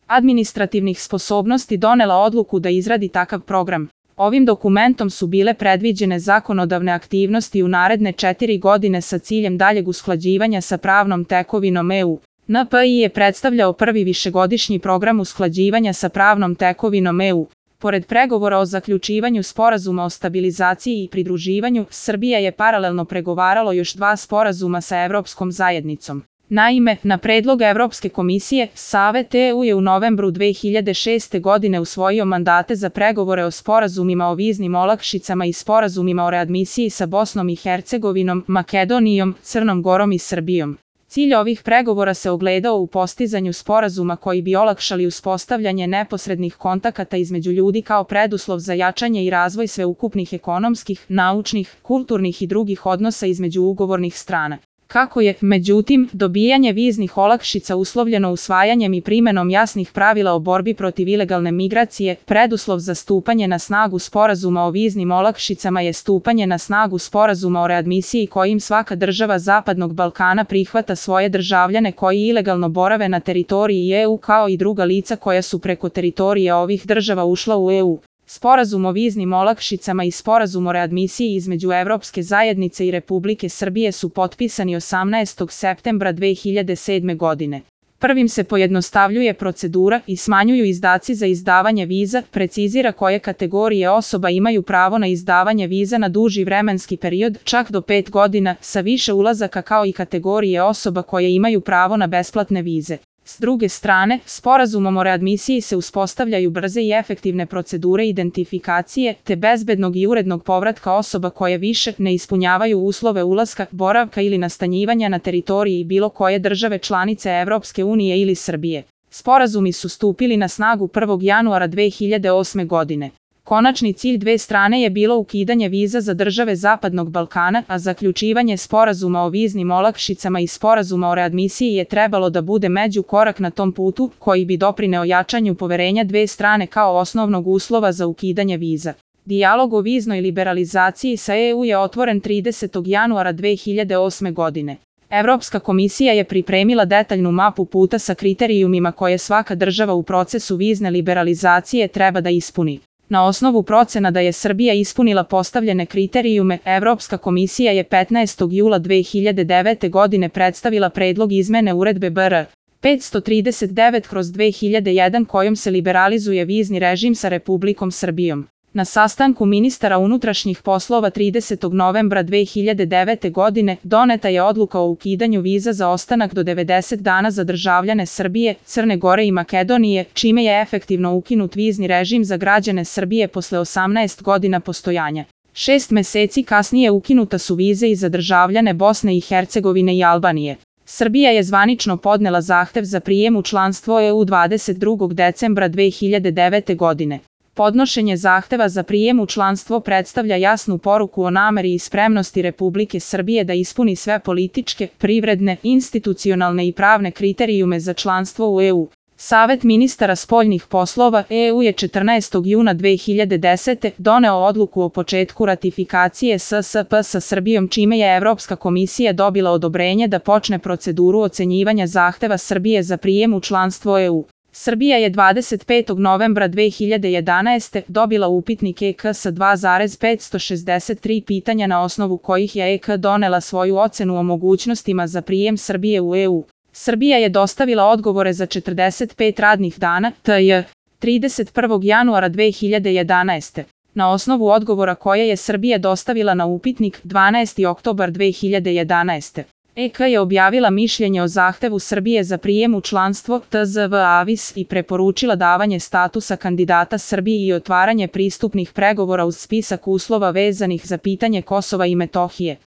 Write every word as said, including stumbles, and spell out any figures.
administrativnih sposobnosti donela odluku da izradi takav program. Ovim dokumentom su bile predviđene zakonodavne aktivnosti u naredne četiri godine sa ciljem daljeg usklađivanja sa pravnom tekovinom E U. N P I je predstavljao prvi višegodišnji program usklađivanja sa pravnom tekovinom E U. Pored pregovora o zaključivanju sporazuma o stabilizaciji i pridruživanju, Srbija je paralelno pregovaralo još dva sporazuma sa Evropskom zajednicom. Naime, na predlog Evropske komisije, Savet E U je u novembru dve hiljade šeste. godine usvojio mandate za pregovore o sporazumima o viznim olakšicama i sporazumima o readmisiji sa Bosnom i Hercegovinom, Makedonijom, Crnom Gorom i Srbijom. Cilj ovih pregovora se ogledao u postizanju sporazuma koji bi olakšali uspostavljanje neposrednih kontakata između ljudi kao preduslov za jačanje i razvoj sveukupnih ekonomskih, naučnih, kulturnih i drugih odnosa između ugovornih strana. Kako je, međutim, dobijanje viznih olakšica uslovljeno usvajanjem i primenom jasnih pravila o borbi protiv ilegalne migracije, preduslov za stupanje na snagu sporazuma o viznim olakšicama je stupanje na snagu sporazuma o readmisiji kojim svaka država Zapadnog Balkana prihvata svoje državljane koji ilegalno borave na teritoriji E U kao i druga lica koja su preko teritorije ovih država ušla u E U. Sporazum o viznim olakšicama i sporazum o readmisiji između Evropske zajednice i Republike Srbije su potpisani osamnaestog septembra dve hiljade sedme. godine. Prvim se pojednostavljuje procedura i smanjuju izdaci za izdavanje viza, precizira koje kategorije osoba imaju pravo na izdavanje viza na duži vremenski period, čak do pet godina, sa više ulazaka kao i kategorije osoba koje imaju pravo na besplatne vize. S druge strane, sporazumom o readmisiji se uspostavljaju brze i efektivne procedure identifikacije, te bezbednog i urednog povratka osoba koje više ne ispunjavaju uslove ulaska, boravka ili nastanjivanja na teritoriji bilo koje države članice Evropske unije ili Srbije. Sporazumi su stupili na snagu prvog januara dve hiljade osme. godine. Konačni cilj dve strane je bilo ukidanje viza za države Zapadnog Balkana, a zaključivanje sporazuma o viznim olakšicama i sporazuma o readmisiji je trebalo da bude međukorak na tom putu, koji bi doprineo jačanju poverenja dve strane kao osnovnog uslova za ukidanje viza. Dijalog o viznoj liberalizaciji sa E U je otvoren tridesetog januara dve hiljade osme. godine. Evropska komisija je pripremila detaljnu mapu puta sa kriterijumima koje svaka država u procesu vizne liberalizacije treba da ispuni. Na osnovu procena da je Srbija ispunila postavljene kriterijume, Evropska komisija je petnaestog jula dve hiljade devete. godine predstavila predlog izmene uredbe B R petsto trideset devet kroz dve hiljade jedan kojom se liberalizuje vizni režim sa Republikom Srbijom. Na sastanku ministara unutrašnjih poslova tridesetog novembra dve hiljade devete. godine doneta je odluka o ukidanju viza za ostanak do devedeset dana za državljane Srbije, Crne Gore i Makedonije, čime je efektivno ukinut vizni režim za građane Srbije posle osamnaest godina postojanja. Šest meseci kasnije ukinuta su vize i za državljane Bosne i Hercegovine i Albanije. Srbija je zvanično podnela zahtev za prijem u članstvo E U dvadeset drugog decembra dve hiljade devete. godine. Podnošenje zahteva za prijem u članstvo predstavlja jasnu poruku o nameri i spremnosti Republike Srbije da ispuni sve političke, privredne, institucionalne i pravne kriterijume za članstvo u E U. Savet ministara spoljnih poslova E U je četrnaestog juna dve hiljade desete. doneo odluku o početku ratifikacije S S P sa Srbijom čime je Evropska komisija dobila odobrenje da počne proceduru ocenjivanja zahteva Srbije za prijem u članstvo E U. Srbija je dvadeset petog novembra dve hiljade jedanaeste. dobila upitnik E K sa dva zarez petsto šezdeset tri pitanja na osnovu kojih je E K donela svoju ocenu o mogućnostima za prijem Srbije u E U. Srbija je dostavila odgovore za četrdeset pet radnih dana, to je trideset prvog januara dve hiljade jedanaeste. Na osnovu odgovora koje je Srbija dostavila na upitnik dvanaesti oktobar dve hiljade jedanaeste. E K je objavila mišljenje o zahtevu Srbije za prijem u članstvo T Z V Avis i preporučila davanje statusa kandidata Srbiji i otvaranje pristupnih pregovora uz spisak uslova vezanih za pitanje Kosova i Metohije.